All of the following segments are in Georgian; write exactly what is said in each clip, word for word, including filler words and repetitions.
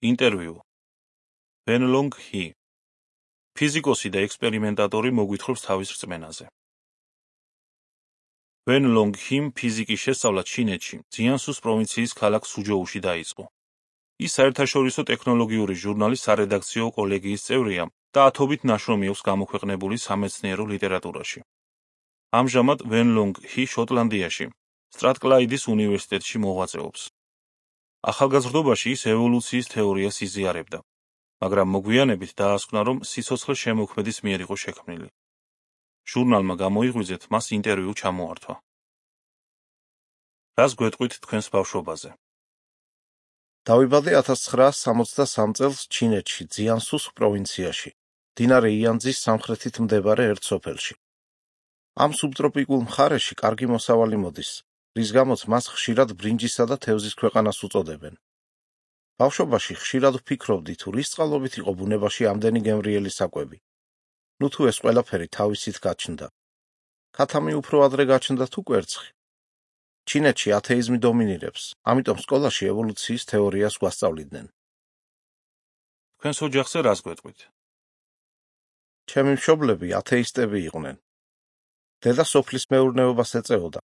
ინტერვიუ. ვენლონგ ჰი. ფიზიკოსი და ექსპერიმენტატორი მოგვითხრობს თავის რწმენაზე. ვენლონგ ჰიმ ფიზიკის შესწავლა ჩინეთში, ძიანსუს პროვინციის ქალაქ სუჯოუში დაიწყო. ის საერთაშორისო ტექნოლოგიური ჟურნალის სარედაქციო კოლეგიის წევრია და ათობით ნაშრომი აქვს გამოქვეყნებული სამეცნიერო ლიტერატურაში. ამჟამად ვენლონგ ჰი შოტლანდიაში, სტრატკლაიდის უნივერსიტეტში მოღვაწეობს. ახალგაზრდობაში ის ევოლუციის თეორიას იზიარებდა, მაგრამ მოგვიანებით დაასკვნა, რომ სიცოცხლე შემოქმედის მიერ იყო შექმნილი. ჟურნალმა გამოიღვიძეთ მას ინტერვიუ ჩამოართვა. რას გვეტყვით თქვენს ბავშვობაზე? დავიბადე ათას ცხრაას სამოცდასამ წელს ჩინეთში, ძიანსუს პროვინციაში, მდინარე იანძის სამხრეთით მდებარე ერთ სოფელში. ამ სუბტროპიკულ მხარეში კარგი მოსავალი მოდის, რის გამოც მას ხშირად ბრინჯისა და თევზის ქვეყანას უწოდებენ. ბავშვობაში ხშირად ვფიქრობდი, თუ რის წყალობით იყო ბუნებაში ამდენი გემრიელი საკვები. ნუ თუ ეს ყველაფერი თავისით გაჩნდა. ქათამი უფრო ადრე გაჩნდა თუ კვერცხი. ჩინეთში ათეიზმი დომინირებს, ამიტომ სკოლაში ევოლუციის თეორიას გვასწავლიდნენ. თქვენს ოჯახზე რას გვეტყვით? ჩემი მშობლები ათეისტები იყვნენ. დედა სოფლის მეურნეობას ეწეოდა.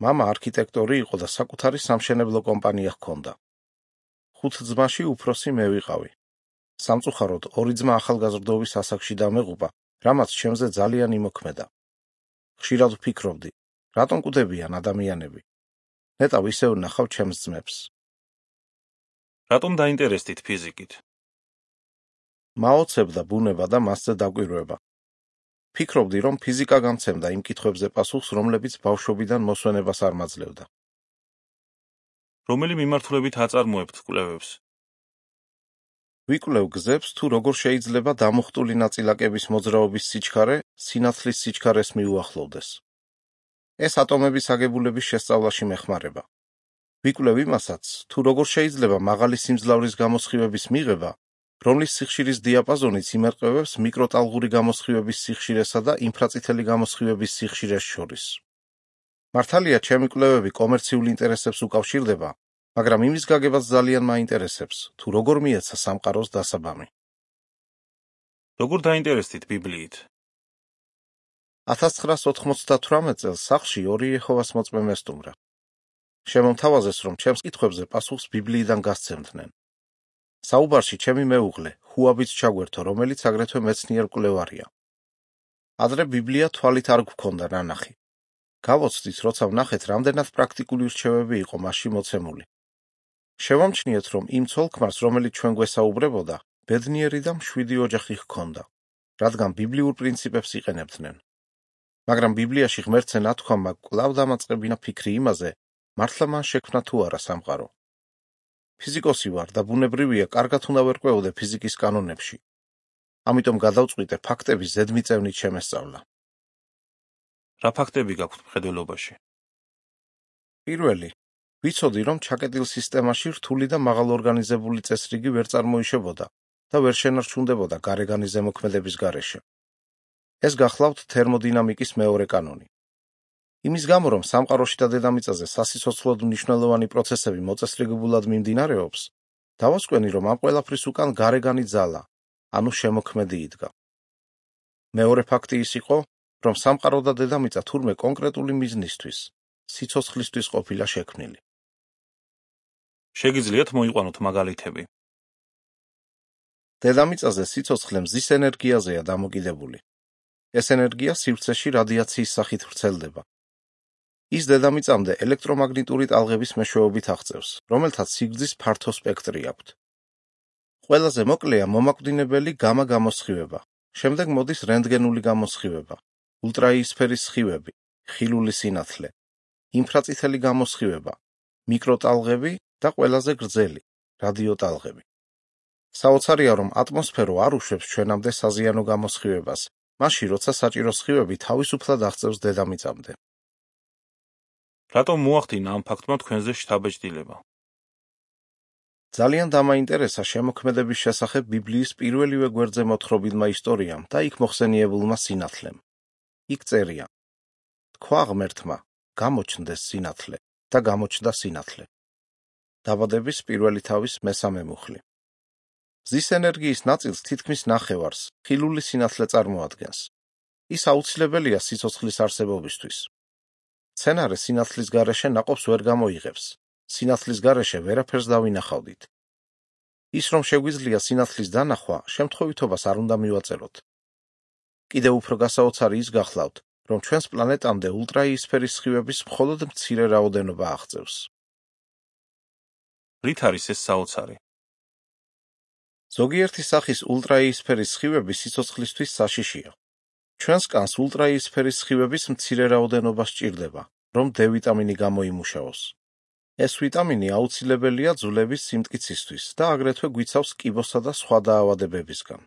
მამა არქიტექტორი იყო და საკუთარი სამშენებლო კომპანია ჰქონდა. ხუთ ძმაში უფროსი მე ვიყავი. სამწუხაროდ ორი ძმა ახალგაზრდობის ასაკში დამეღუპა, რამაც ჩემზე ძალიან იმოქმედა. ხშირად ვფიქრობდი, რატომ კვდებიან ადამიანები? ნეტავ ისევ ნახავ ჩემს ძმებს. რატომ დაინტერესდით ფიზიკით? მაოცებდა ბუნება და მასზე დაკვირვება. ფიქრობდი, რომ ფიზიკა გამცემდა იმ კითხვებზე პასუხს, რომლებიც ბავშვობიდან მოსვენებას არ მაძლევდა. რომელი მიმართულებით აწარმოებთ კვლევებს? ვიკვლევ გზებს, თუ როგორ შეიძლება დამუხტული ნაწილაკების მოძრაობის სიჩქარე სინათლის სიჩქარეს მიუახლოვდეს. ეს ატომების აგებულების შესწავლაში მეხმარება. ვიკვლევ იმასაც, თუ როგორ შეიძლება მაღალი სიმძლავრის გამოსხივების მიღება, რომლის სიხშირის დიაპაზონიც იმერყევებს მიკროტალღური გამოსხივების სიხშირესა და ინფრაწითელი გამოსხივების სიხშირეს შორის. მართალია, ჩემი კვლევები კომერციულ ინტერესებს უკავშირდება, მაგრამ იმის გაგებაც ძალიან მაინტერესებს, თუ როგორ მიეცა სამყაროს დასაბამი. როგორ დაინტერესდით ბიბლიით? ათას ცხრაას ოთხმოცდათვრამეტ წელს სახლში ორი იეჰოვას მოწმე მესტუმრა. შემომთავაზეს, რომ ჩემს კითხვებზე პასუხს ბიბლიიდან გასცემდნენ. საუბარში ჩემი მეუღლე, ჰუაბიც ჩაგვერთო, რომელიც აგრეთვე მეცნიერ მკვლევარია. ადრე ბიბლია თვალით არ გვქონდა ნანახი. გავოცდით, როცა ვნახეთ, რამდენად პრაქტიკული რჩევები იყო მასში მოცემული. შევამჩნიეთ, რომ იმ ცოლ-ქმარს, რომელიც ჩვენ გვესაუბრებოდა, ბედნიერი და მშვიდი ოჯახი ჰქონდა, რადგან ბიბლიურ პრინციპებს იყენებდნენ. მაგრამ ბიბლიაში ღმერთზე ნათქვამა კვლავ დამაწყებინა ფიქრი იმაზე, მართლა მან შექმნა თუ არა სამყარო. ფიზიკოსი ვარ და ბუნებრივია, კარგად უნდა ვერკვეოდე ფიზიკის კანონებში. ამიტომ გადავწყვიტე ფაქტების ზედმიწევნით შემესწავლა. რა ფაქტები გაქვთ მხედველობაში? პირველი, ვიცოდი, რომ ჩაკეტილ სისტემაში რთული და მაღალორგანიზებული წესრიგი ვერ წარმოიშებოდა და ვერ შენარჩუნდებოდა გარეგანი ზემოქმედების გარეშე. ეს გახლავთ თერმოდინამიკის მეორე კანონი. იმის გამო, რომ სამყაროში და დედამიწაზე სასიცოცხლოდ მნიშვნელოვანი პროცესები მოწესრიგებულად მიმდინარეობს, დავასკვენი, რომ ამ ყველაფრის უკან გარეგანი ძალა, ანუ შემოქმედი იდგა. მეორე ფაქტი ის იყო, რომ სამყარო და დედამიწა თურმე კონკრეტული მიზნისთვის, სიცოცხლისთვის ყოფილა შექმნილი. შეგიძლიათ მოიყვანოთ მაგალითები? დედამიწაზე სიცოცხლე მზის ენერგიაზეა დამოკიდებული. ეს ენერგია სივრცეში რადიაციის სახით ვრცელდება. ის დედამიწამდე ელექტრომაგნიტური ტალღების მეშვეობით აღწევს, რომელთაც სიგრძის ფართო სპექტრი აქვთ. ყველაზე მოკლეა მომაკვდინებელი გამა გამოსხივება, შემდეგ მოდის რენტგენული გამოსხივება, ულტრაიისფერის სხივები, ხილული სინათლე, ინფრაწითელი გამოსხივება, მიკროტალღები და ყველაზე გრძელი, რადიოტალღები. საოცარია, რომ ატმოსფერო არ უშვებს ჩვენამდე საზიანო გამოსხივებას, მაშინ, როცა საჭირო სხივები თავისუფლად აღწევს დედამიწამდე. რატომ მოახდინა ამ ფაქტმა თქვენზე შთაბეჭდილება? ძალიან დამაინტერესა შემოქმედების შესახებ ბიბლიის პირველივე გვერდზე მოთხრობილმა ისტორიამ და იქ მოხსენიებულმა სინათლემ. იქ წერია: თქვა ღმერთმა, გამოჩნდეს სინათლე და გამოჩნდა სინათლე. დაბადების პირველი თავის მესამე მუხლი. მზის ენერგიის ნაწილს თითქმის ნახევარს ხილული სინათლე წარმოადგენს. ის აუცილებელია სიცოცხლის არსებობისთვის. მცენარე სინათლის გარეშე ნაყოფს ვერ გამოიღებს. სინათლის გარეშე ვერაფერს დავინახავდით. ის რომ შეგვიძლია სინათლის დანახვა, შემთხვევითობას არ უნდა მივაწეროთ. კიდევ უფრო გასაოცარი ის გახლავთ, რომ ჩვენს პლანეტამდე ულტრაიისფერის სხივების მხოლოდ მცირე რაოდენობა აღწევს. რით არის ეს საოცარი? ზოგიერთი სახის ულტრაიისფერის სხივები სიცოცხლისთვის საშიშია. ჩვენს კანს ულტრაიისფერის სხივების მცირე რაოდენობა სჭირდება, რომ D ვიტამინი გამოიმუშაოს. ეს ვიტამინი აუცილებელია ძვლების სიმტკიცისთვის და აგრეთვე გვიცავს კიბოსა და სხვა დაავადებებისგან.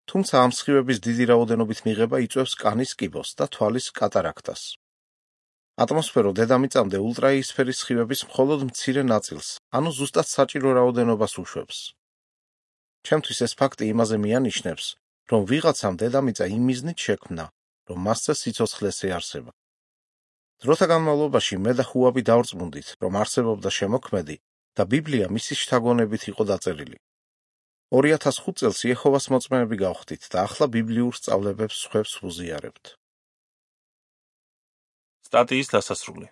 თუმცა ამ სხივების დიდი რაოდენობით მიღება იწვევს კანის კიბოს და თვალის კატარაქტას. ატმოსფერო დედამიწამდე ულტრაიისფერის სხივების მხოლოდ მცირე ნაწილს, ანუ ზუსტად საჭირო რაოდენობას უშვებს. ჩემთვის ეს ფაქტი იმაზე მიანიშნებს, რომ ვიღაცამ დედამიწა იმ მიზნით შექმნა, რომ მასზე სიცოცხლეს ეარსება. დროთა განმავლობაში მე და ხუაბი დავრწმუნდით, რომ არსებობდა შემოქმედი და ბიბლია მისი შთაგონებით იყო დაწერილი. ორი ათას ხუთ წელს იეჰოვას მოწმეები გავხდით და ახლა ბიბლიურ სწავლებებს სხვებს ვუზიარებთ. სტატიის დასასრული.